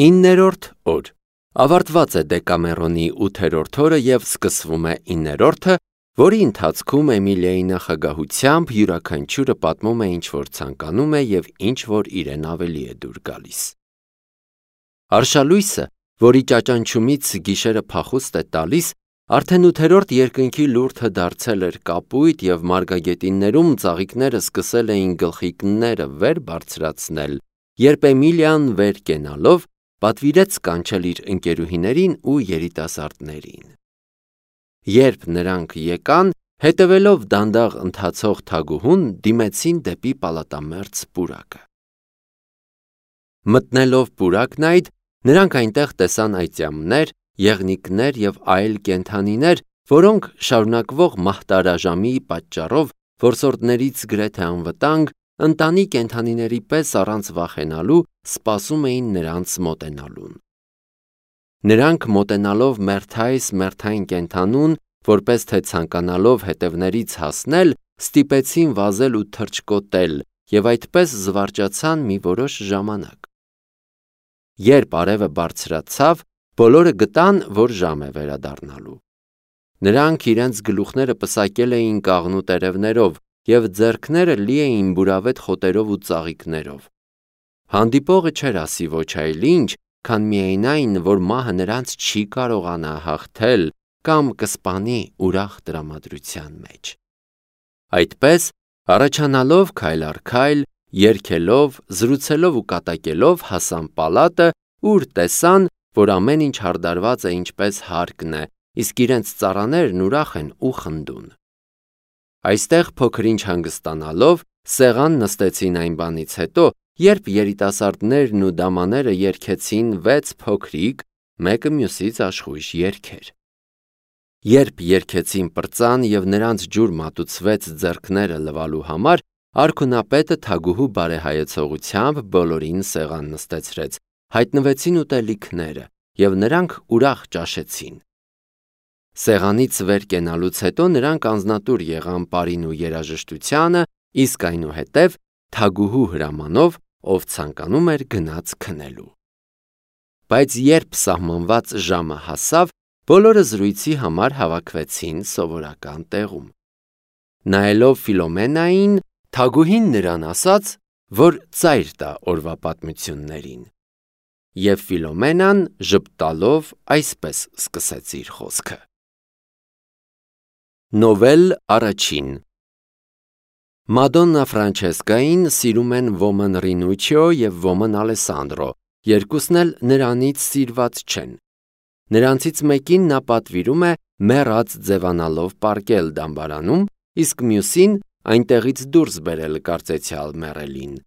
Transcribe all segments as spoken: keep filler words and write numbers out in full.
Իններորդ օր ավարտված է Դեկամերոնի ութերորդ օրը և սկսվում է իններորդը, որի ընթացքում Էմիլիայի նախագահությամբ յուրաքանչյուրը պատմում է ինչ-որ ցանկանում է և ինչ-որ իրեն ավելի է դուր գալիս։ Արշալույսը, որի ճաճանչումից գիշերը փախուստ է տալիս, արդեն ութերորդ երկնքի լուրդը դարձել էր կապույտ և մարգագետիններում ծաղիկները սկսել էին գլխիկները վեր բարձրացնել, երբ Էմիլիան վեր կենալով պատվիրեց կանչել իր ընկերուհիներին ու երիտասարդներին։ Երբ նրանք եկան, հետևելով դանդաղ ընթացող թագուհուն, դիմեցին դեպի պալատամերձ պուրակը։ Մտնելով պուրակն այդ, նրանք այնտեղ տեսան այծյամներ, եղնիկներ և այլ կենդանիներ, որոնք շարունակվող մահտարաժամի պատճառով որսորդներից գրեթե անվտանգ, ընտանի կենդանիների պես առանց վախենալու սպասում էին նրանց մոտենալուն։ Նրանք մոտենալով մերթայս մերթային կենդանուն, որպես թե ցանկանալով հետևներից հասնել, ստիպեցին վազել ու թռչկոտել և այդպես զվարճացան մի որոշ ժամանակ։ Երբ արևը բարձրացավ, բոլորը գտան, որ ժամ է վերադառնալու։ Նրանք իրենց գլուխները պսակել էին կաղնու տերևներով և ձեռքները լի էին բուրավետ խոտերով ու ծաղիկներով։ Հանդիպողը չէր ասի ոչ այլ ինչ, քան միայն այն, որ մահը նրանց չի կարողանա հաղթել կամ կսպանի ուրախ տրամադրության մեջ։ Այդպես, առաջանալով քայլ առ քայլ, երգելով, զրուցելով ու կատակելով հասան պալատը, ուր տեսան, որ ամեն ինչ հարդարված է ինչպես հարկն է, իսկ իրենց ծառաներն ուրախ են ու խնդուն։ Այստեղ փոքր-ինչ հանգստանալով, սեղան նստեցին այն բանից հետո, երբ երիտասարդներն ու դամաները երգեցին վեց փոքրիկ, մեկը մյուսից աշխույժ երգեր։ Երբ երգեցին պրծան և նրանց ջուր մատուցվեց ձեռքները լվալու համար, արքունապետը թագուհու բարեհայեցողությամբ բոլորին սեղան նստեցրեց, հայտնվեցին ուտելիքները, և նրանք ուրախ ճաշեցին։ Սեղանից վեր կենալուց հետո նրանք անձնատուր եղան պարին ու երաժշտությանը, իսկ այնուհետև թագուհու հրամանով, ով ցանկանում էր գնաց քնելու։ Բայց երբ սահմանված ժամը հասավ, բոլորը զրույցի համար հավաքվեցին սովորական տեղում։ Նայելով Ֆիլոմենային, թագուհին նրան ասաց, որ ծայր տա օրվա պատմություններին։ Եվ Ֆիլոմենան ժպտալով այսպես սկսեց իր խոսքը. Նովել առաջին Մադոննա Ֆրանչեսկային սիրում են ոմն Ռինուչիո և ոմն Ալեսանդրո, երկուսն էլ նրանից սիրված չեն։ Նրանցից մեկին նա պատվիրում է մեռած ձևանալով պառկել դամբարանում, իսկ մյուսին այնտեղից դուրս բերել կարծեցյալ մեռելին։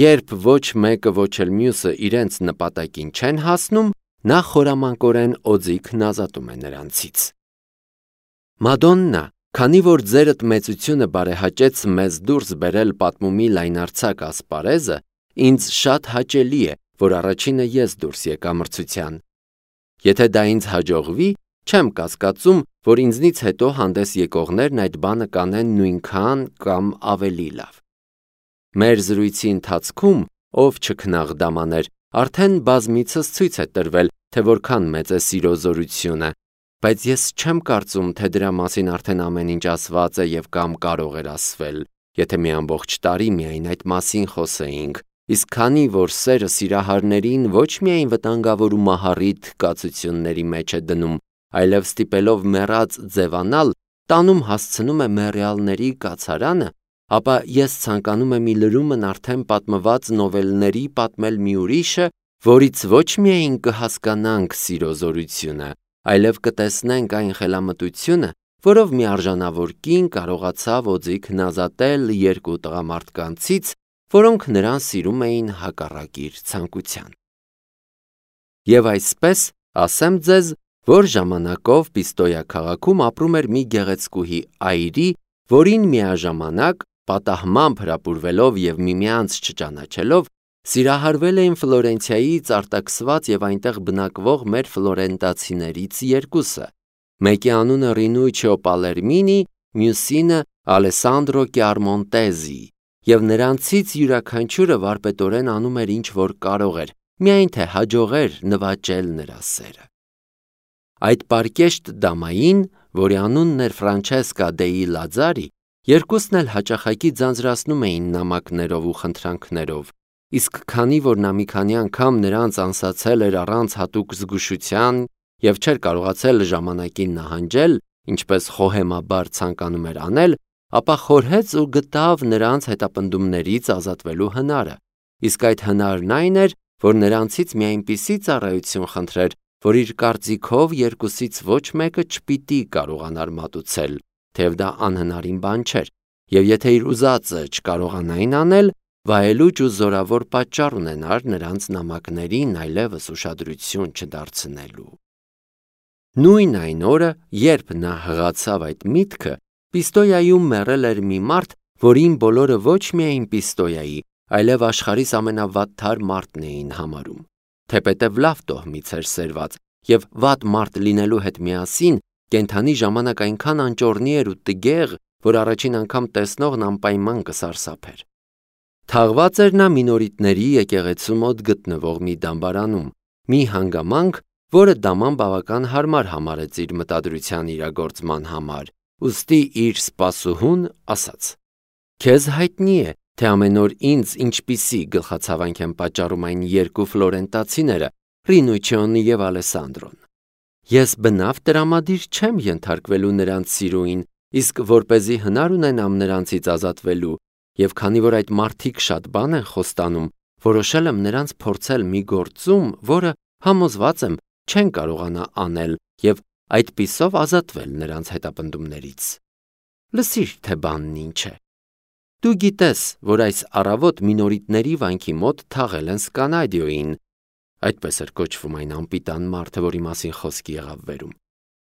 Երբ ոչ մեկը ոչ էլ մյուսը իրենց նպատակին չեն հասնում, նա խորամանկորեն օձիքն ազատում է նրանցից։ Մադոննա, քանի որ ձերդ մեծությունը բարեհաճեց մեզ դուրս բերել պատմումի լայնարձակ ասպարեզը, ինձ շատ հաճելի է, որ առաջինը ես դուրս եկա մրցության։ Եթե դա ինձ հաջողվի, չեմ կասկածում, որ ինձնից հետո հանդես եկողներն այդ բանը կանեն նույնքան կամ ավելի լավ։ Մեր զրույցի ընթացքում, ով չքնաղ դամաներ, արդեն բազմիցս ցույց է տրվել, թե որքան մեծ է սիրո զորությունը, բայց ես չեմ կարծում, թե դրա մասին արդեն ամեն ինչ ասված է և կամ կարող էր ասվել, եթե մի ամբողջ տարի միայն այդ մասին խոսեինք, իսկ քանի որ սերը սիրահարներին ոչ միայն վտանգավոր ու մահառիթ կացությունների մեջ է դնում, այլև ստիպելով մեռած ձևանալ, տանում հասցնում է մեռյալների կացարանը, ապա ես ցանկանում եմ ի լրումն արդեն պատմված նովելների պատմել մի ուրիշը, որից ոչ միայն կհասկանանք սիրո զորությունը, այլև կտեսնենք այն խելամտությունը, որով մի արժանավոր կին կարողացավ օձիքն ազատել երկու տղամարդկանցից, որոնք նրան սիրում էին հակառակ իր ցանկության։ Եվ այսպես ասեմ ձեզ, որ ժամանակով Պիստոյա քաղաքում ապրում էր մի գեղեցկուհի այրի, որին միաժամանակ, պատահմամբ հրապուրվելով և միմյանց չճանաչելով, սիրահարվել էին Ֆլորենցիայից արտաքսված և այնտեղ բնակվող մեր ֆլորենտացիներից երկուսը, մեկի անունը Ռինուչիո Պալերմինի, մյուսինը Ալեսանդրո Կյարմոնտեզի, և նրանցից յուրաքանչյուրը վարպետորեն անում էր ինչ որ կարող էր, միայն թե հաջողեր նվաճել նրա սերը։ Այդ պարկեշտ դամային, որի անունն էր Ֆրանչեսկա դեի Լաձարի, երկուսն էլ հաճախակի ձանձրացնում էին նամակներով ու խնդրանքներով, իսկ քանի որ նա մի քանի անգամ նրանց անսացել էր առանց հատուկ զգուշության և չէր կարողացել ժամանակին նահանջել, ինչպես խոհեմաբար ցանկանում էր անել, ապա խորհեց ու գտավ նրանց հետապնդումներից ազատվելու հնարը, իսկ այդ հնարն այն էր, որ նրանցից մի այնպիսի ծառայություն խնդրեր, որ իր կարծիքով երկուսից ոչ մեկը չպիտի կարողանար մատուցել, թեև դա անհնարին բան չէր, և եթե իր ուզածը չկարողանային անել, վայելուչ ու զորավոր պատճառ ունենար նրանց նամակներին այլևս ուշադրություն չդարձնելու։ Նույն այն օրը, երբ նա հղացավ այդ միտքը, Պիստոյայում մեռել էր մի մարդ, որին բոլորը ոչ միայն Պիստոյայի, այլև աշխարհիս ամենավատթար մարդն էին համարում, թեպետև լավ տոհմից էր սերված, և վատ մարդ լինելու հետ միասին կենդանի ժամանակ այնքան անճոռնի էր ու տգեղ, որ առաջին անգամ տեսնողն անպայման կսարսափեր։ Թաղված էր նա մինորիտների եկեղեցու մոտ գտնվող մի դամբարանում, մի հանգամանք, որը դաման բավական հարմար համարեց իր մտադրության իրագործման համար, ուստի իր սպասուհուն ասաց. «Քեզ հայտնի է, թե ամեն օր ինձ ինչպիսի գլխացավանք են պատճառում այն երկու ֆլորենտացիները, Ռինուչիոնը և Ալեսանդրոն։ Ես բնավ տրամադիր չեմ ենթարկվելու նրանց սիրուին, իսկ որպեսզի հնար ունենամ նրանցից ազատվելու, և քանի որ այդ մարդիկ շատ բան են խոստանում, որոշել եմ նրանց փորձել մի գործում, որը, համոզված եմ, չեն կարողանա անել և այդպիսով ազատվել նրանց հետապնդումներից։ Լսիր, թե բանն ինչ է։ Դու գիտես, որ այս առավոտ մինորիտների վանքի մոտ թաղել են Սկանադիոյին, այդպես էր կոչվում այն անպիտան մարդը, որի մասին խոսք եղավ վերում,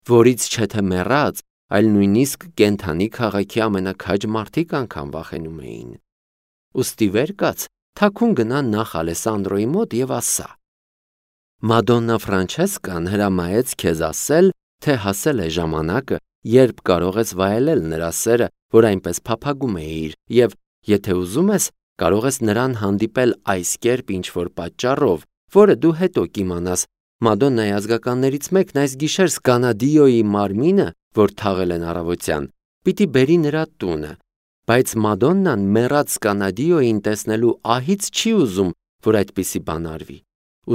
որից չէ թե մեռած, այլ նույնիսկ կենդանի քաղաքի ամենաքաջ մարդիկ անգամ վախենում էին։ Ուստի վեր կաց, թաքուն գնա նախ Ալեսանդրոյի մոտ և ասա. Մադոննա Ֆրանչեսկան հրամայեց քեզ ասել, թե հասել է ժամանակը, երբ կարող ես վայելել նրա սերը, որ այնպես փափագում էիր, և, եթե ուզում ես, կարող ես նրան հանդիպել այս կերպ ինչ-որ պատճառով, որը դու հետո կիմանաս, Մադոննայի ազգականներից մեկն այս գիշեր Սկանադիոյի մարմինը, որ թաղել են առավոտյան, պիտի բերի նրա տունը, բայց Մադոննան մեռած Սկանադիոյին տեսնելու ահից չի ուզում, որ այդպիսի բան արվի,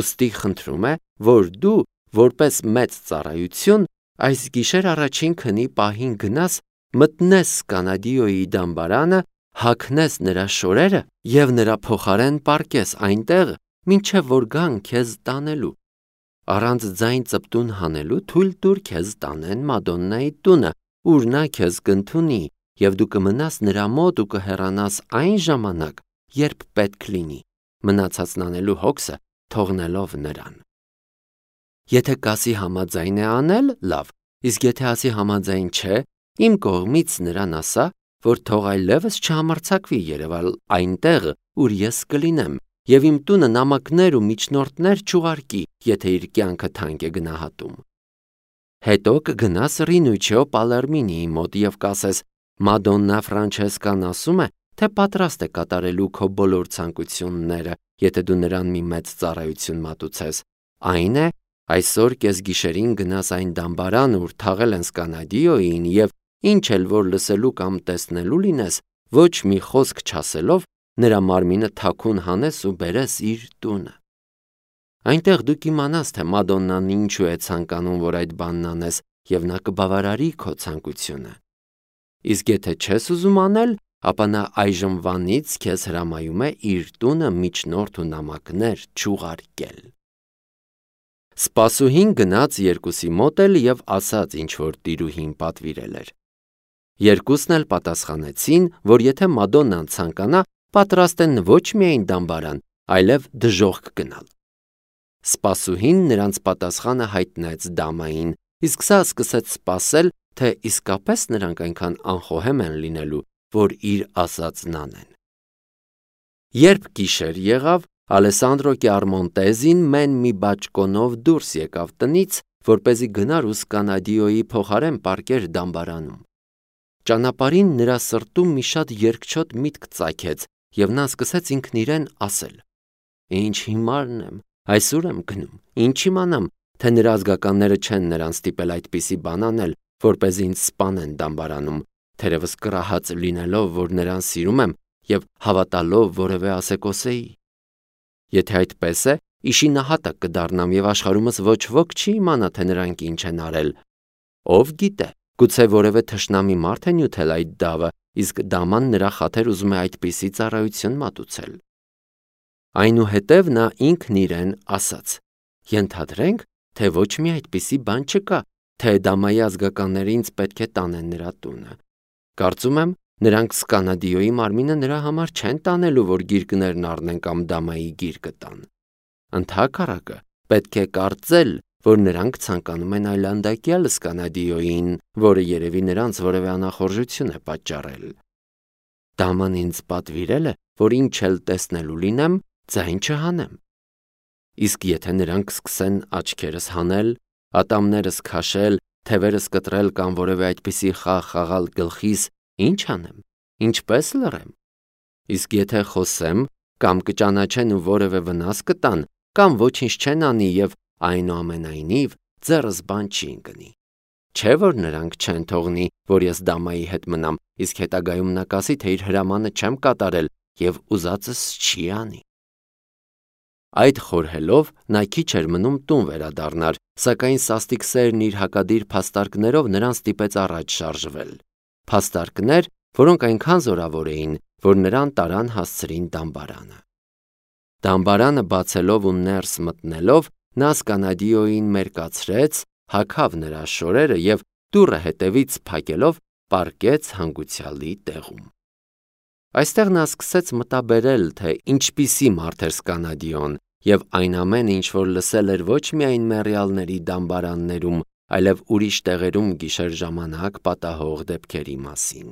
ուստի խնդրում է, որ դու, որպես մեծ ծառայություն, այս գիշեր առաջին քնի պահին գնաս, մտնես Սկանադիոյի դամբարանը, հագնես նրա շորերը և նրա փոխարեն պառկես այնտեղ, մինչև որ գան քեզ տանելու։ Առանց ձայն ծպտուն հանելու թույլ տուր քեզ տանեն Մադոննայի տունը, ուր նա քեզ կընդունի, և դու կմնաս նրա մոտ ու կհեռանաս այն ժամանակ, երբ պետք լինի, մնացածն անելու հոգսը թողնելով նրան։ Եթե կասի համաձայն է անել, լավ, իսկ եթե ասի համաձայն չէ, իմ կողմից նրան ասա, որ թող այլևս չհամարձակվի երևալ այնտեղ, ուր ես կլինեմ, և իմ տունը նամակներ ու միջնորդներ չուղարկի, եթե իր կյանքը թանկ է գնահատում։ Հետո կգնաս Ռինուչիո Պալերմինիի մոտ և կասես. Մադոննա Ֆրանչեսկան ասում է, թե պատրաստ է կատարելու քո բոլոր ցանկությունները, եթե դու նրան մի մեծ ծառայություն մատուցես, այն է, այսօր կեսգիշերին գնաս այն դամբարան, ուր թաղել են Սկանադիոյին, և ինչ էլ որ լսելու կամ տեսնելու լինես, ոչ մի խոսք չասելով, նրա մարմինը թաքուն հանես ու բերես իր տունը։ Այնտեղ դու կիմանաս, թե Մադոննան ինչու է ցանկանում, որ այդ բանն անես, և նա կբավարարի քո ցանկությունը։ Իսկ եթե չես ուզում անել, ապա նա այժմվանից քեզ հրամայում է իր տունը միջնորդ ու նամակներ չուղարկել։ Սպասուհին գնաց երկուսի մոտ էլ և ասաց, ինչ որ տիրուհին պատվիրել էր։ Երկուսն էլ պատասխանեցին, որ եթե Մադոննան ցանկանա, պատրաստ են ոչ միայն դամբարան, այլև դժոխք գնալ։ Սպասուհին նրանց պատասխանը հայտնեց դամային, իսկ սա սկսեց սպասել, թե իսկապես նրանք այնքան անխոհեմ են լինելու, որ իր ասածն անեն։ Երբ գիշեր եղավ, Ալեսանդրո Կիարմոնտեզին մեն մի բաճկոնով դուրս եկավ տնից, որպեսզի գնար ու Սկանադիոյի փոխարեն պառկեր դամբարանում։ Ճանապարհին նրա սրտում մի շատ երկչոտ միտք ծագեց, և նա սկսեց ինքն իրեն ասել. Ինչ հիմարն եմ, Այսօր եմ գնում, ինչ իմանամ, թե նրա ազգականները չեն նրան ստիպել այդպիսի բան անել, որպեսզի ինձ սպանեն դամբարանում, թերևս կռահած լինելով, որ նրան սիրում եմ և հավատալով որևէ ասեկոսեի։ Եթե այդպես է, իշի նահատակ կդառնամ և աշխարհումս ոչ ոք չի իմանա, թե նրանք ինչ են արել։ Ով գիտե, գուցե որևէ թշնամի մարդ է նյութել այդ դավը, իսկ դաման նրա խաթր ուզում է այդպիսի ծառայություն մատուցել։ Այնուհետև նա ինքն իրեն ասաց. ենթադրենք, թե ոչ մի այդպիսի բան չկա, թե դամայի ազգականները ինձ պետք է տանեն նրա տունը։ Կարծում եմ, նրանք Սկանադիոյի մարմինը նրա համար չեն տանելու, որ գիրկներն առնեն կամ դամայի գիրկը տան։ Ընդհակառակը, պետք է կարծել, որ նրանք ցանկանում են այլանդակյալ Սկանադիոյին, որը երևի նրանց որևէ անախորժություն է պատճառել։ Դաման ինձ պատվիրել է, որ ինչ էլ տեսնելու լինեմ, ձայն չհանեմ։ Իսկ եթե նրանք սկսեն աչքերս հանել, ատամներս քաշել, թևերս կտրել կամ որևէ այդպիսի խաղ խաղալ գլխիս, ինչ անեմ, ինչպես լռեմ։ Իսկ եթե խոսեմ, կամ կճանաչեն ու որևէ վնաս կտան, կամ ոչինչ չեն անի և այնուամենայնիվ ձեռս բան չի ընկնի։ Չէ՞ որ նրանք չեն թողնի, որ ես դամայի հետ մնամ, իսկ հետագայում նա կասի, թե իր հրամանը չեմ կատարել և ուզածս չի անի։ Այդ խորհելով նա քիչ էր մնում տուն վերադառնար, սակայն սաստիկ սերն իր հակադիր փաստարկներով նրան ստիպեց առաջ շարժվել։ Փաստարկներ, որոնք այնքան զորավոր էին, որ նրան տարան հասցրին դամբարանը։ Դամբարանը բացելով ու ներս մտնելով, նա Սկանադիոյին մերկացրեց, հագավ նրա շորերը և դուռը հետևից փակելով պառկեց հանգուցյալի տեղում։ Այստեղ նա սկսեց մտաբերել, թե ինչպիսի մարդ էր Սկանադիոն, և այն ամենը, ինչ որ լսել էր ոչ միայն մեռյալների դամբարաններում, այլև ուրիշ տեղերում գիշեր ժամանակ պատահող դեպքերի մասին։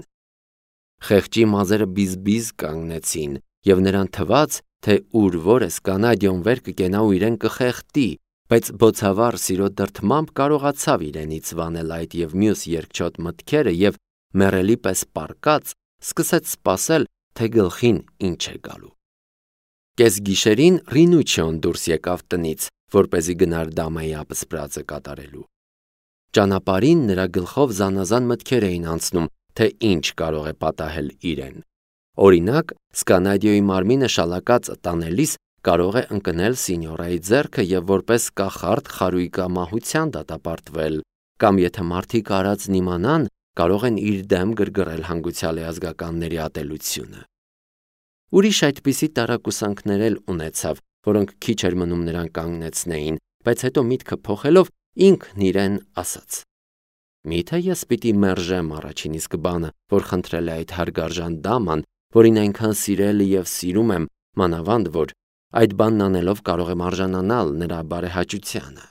Խեղճի մազերը բիզ-բիզ կանգնեցին, և նրան թվաց, թե ուր որ է Սկանադիոն վեր կկենա ու իրեն կխեղդի, բայց բոցավառ սիրո դրդմամբ կարողացավ իրենից վանել այդ և մյուս երկչոտ մտքերը և մեռելի պես պառկած սկսեց սպասել, թե գլխին ինչ է գալու։ Կեսգիշերին Ռինուչիոն դուրս եկավ տնից, որպեսզի գնար դամայի ապսպրածը կատարելու։ Ճանապարհին նրա գլխով զանազան մտքեր էին անցնում, թե ինչ կարող է պատահել իրեն։ Օրինակ, Սկանադիոյի մարմինը շալակած տանելիս կարող է ընկնել սինյորայի ձեռքը և որպես կախարդ խարույկամահության դատապարտվել, կամ եթե մարդիկ արածն իմանան, կարող են իր դեմ գրգռել հանգուցյալի ազգականների ատելությունը։ Ուրիշ այդպիսի տարակուսանքներ էլ ունեցավ, որոնք քիչ էր մնում նրան կանգնեցնեին, բայց հետո միտքը փոխելով ինքն իրեն ասաց. «Միթե ես պիտի մերժեմ առաջին իսկ բանը, որ խնդրել է այդ հարգարժան դաման, որին այնքան սիրել և սիրում եմ, մանավանդ որ այդ բանն անելով կարող եմ արժանանալ նրա բարեհաճությանը։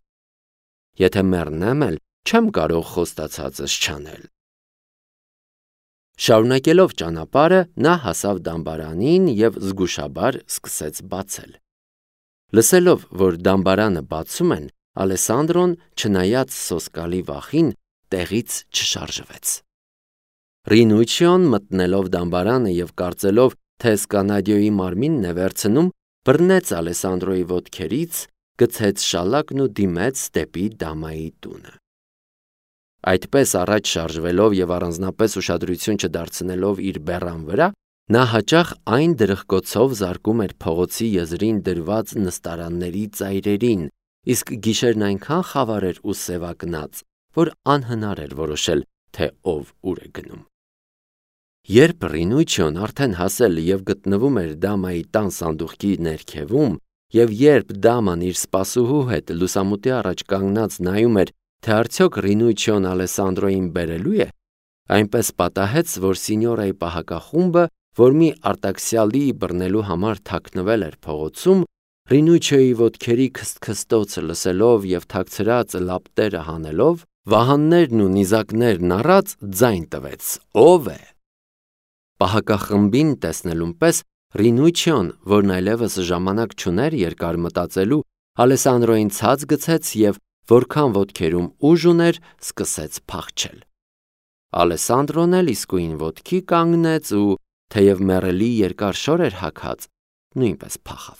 Եթե մեռնեմ էլ, չեմ կարող խոստացածս չանել»։ Շարունակելով ճանապարհը, նա հասավ դամբարանին և զգուշաբար սկսեց բացել։ Լսելով, որ դամբարանը բացում են, Ալեսանդրոն, չնայած սոսկալի վախին, տեղից չշարժվեց։ Ռինուչիոն մտնելով դամբարանը և կարծելով, թե Սկանադիոյի մարմինն է վերցնում, բռնեց Ալեսանդրոյի ոտքերից, գցեց շալակն ու դիմեց դեպի դամայի տունը։ Այդպես առաջ շարժվելով և առանձնապես ուշադրություն չդարձնելով իր բեռան վրա, նա հաճախ այն դրխկոցով զարկում էր փողոցի եզրին դրված նստարանների ծայրերին, իսկ գիշերն այնքան խավար էր ու սևակնած, որ անհնար էր որոշել, թե ով ուր է գնում։ Երբ Ռինուչիոն արդեն հասել և գտնվում էր դամայի տան սանդուղքի ներքևում, և երբ դաման իր սպասուհու հետ լուսամուտի առաջ կանգնած նայում էր, թե արդյոք Ռինուչիոն Ալեսանդրոյին բերելու է, այնպես պատահեց, որ սինյորայի պահակախումբը, որ մի արտաքսյալի բռնելու համար թաքնվել էր փողոցում, Ռինուչիոյի ոտքերի քստքստոցը լսելով և թաքցրած լապտերը հանելով, վահաններն ու նիզակներն առած ձայն տվեց. «Ո՞վ է»։ Պահակախմբին տեսնելուն պես Ռինուչիոն, որն այլևս ժամանակ չուներ երկար մտածելու, Ալեսանդրոյին ցած գցեց և որքան ոտքերում ուժ ուներ, սկսեց փախչել։ Ալեսանդրոն էլ իսկույն ոտքի կանգնեց ու, թեև մեռելի երկար շոր էր հագած, նույնպես փախավ։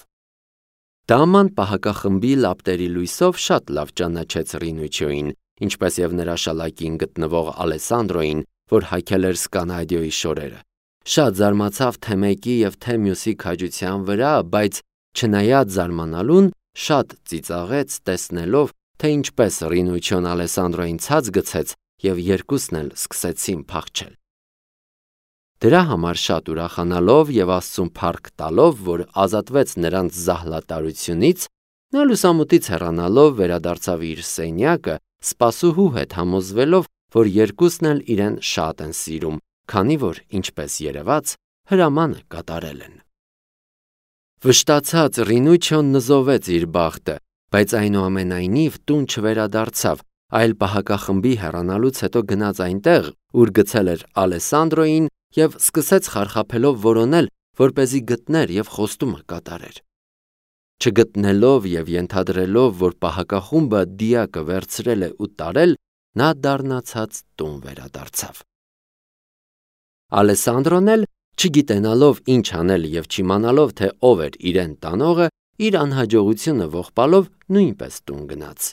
Դաման պահակախմբի լապտերի լույսով շատ լավ ճանաչեց Ռինուչիոյին, ինչպես եւ նրա շալակին գտնվող Ալեսանդրոյին, որ հագել էր Սկանադիոյի շորերը։ Շատ զարմացավ թե մեկի եւ թե մյուսի քաջության վրա, բայց չնայած զարմանալուն, շատ ծիծաղեց տեսնելով, թե ինչպես Ռինուչիոն Ալեսանդրոյին ցած գցեց եւ երկուսն էլ սկսեցին փախչել։ Դրա համար շատ ուրախանալով եւ Աստծուն փառք տալով, որ ազատվեց նրանց զահլատարությունից, նա լուսամուտից հեռանալով վերադարձավ իր սենյակը, սպասուհու հետ համոզվելով, որ երկուսն էլ իրեն շատ են սիրում, քանի որ, ինչպես երևաց, հրամանը կատարել են։ Վշտացած Ռինուչիոն նզովեց իր բախտը, բայց այնուամենայնիվ տուն չվերադարձավ, այլ պահակախմբի հեռանալուց հետո գնաց այնտեղ, ուր գցել էր Ալեսանդրոյին եւ սկսեց խարխափելով որոնել, որպեսզի գտներ եւ խոստումը կատարեր։ Չգտնելով եւ ենթադրելով, որ պահակախումբը դիակը վերցրել է ու տարել, նա դառնացած տուն վերադարձավ։ Ալեսանդրոն էլ, չգիտենալով ինչ անել եւ չիմանալով, թե ով էր իրեն տանողը, իր անհաջողությունը ողբալով նույնպես տուն գնաց։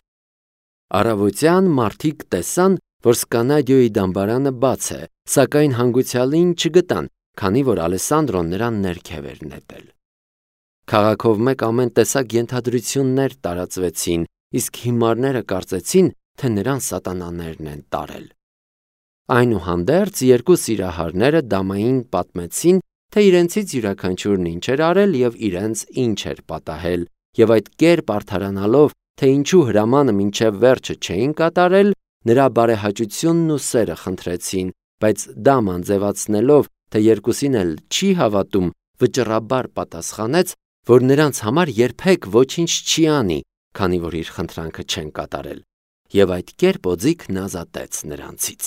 Առավոտյան մարդիկ տեսան, որ Սկանադիոյի դամբարանը բաց է, սակայն հանգուցյալին չգտան, քանի որ Ալեսանդրոն նրան ներքև էր նետել։ Քաղաքով մեկ ամեն տեսակ ենթադրություններ տարածվեցին, իսկ հիմարները կարծեցին, թե նրան սատանաներն են տարել։ Այնուհանդերձ երկու սիրահարները դամային պատմեցին, թե իրենցից յուրաքանչյուրն ինչ էր արել եւ իրենց ինչ էր պատահել, եւ այդ կերպ արդարանալով, թե ինչու հրամանը մինչև վերջը չէին կատարել, նրա բարեհաճությունն ու սերը խնդրեցին, բայց դաման ձևացնելով, թե երկուսին էլ չի հավատում, վճռաբար պատասխանեց, որ նրանց համար երբեք ոչինչ չի անի, քանի որ իր խնդրանքը չեն կատարել, եւ այդ կերպ օձիքն ազատեց նրանցից։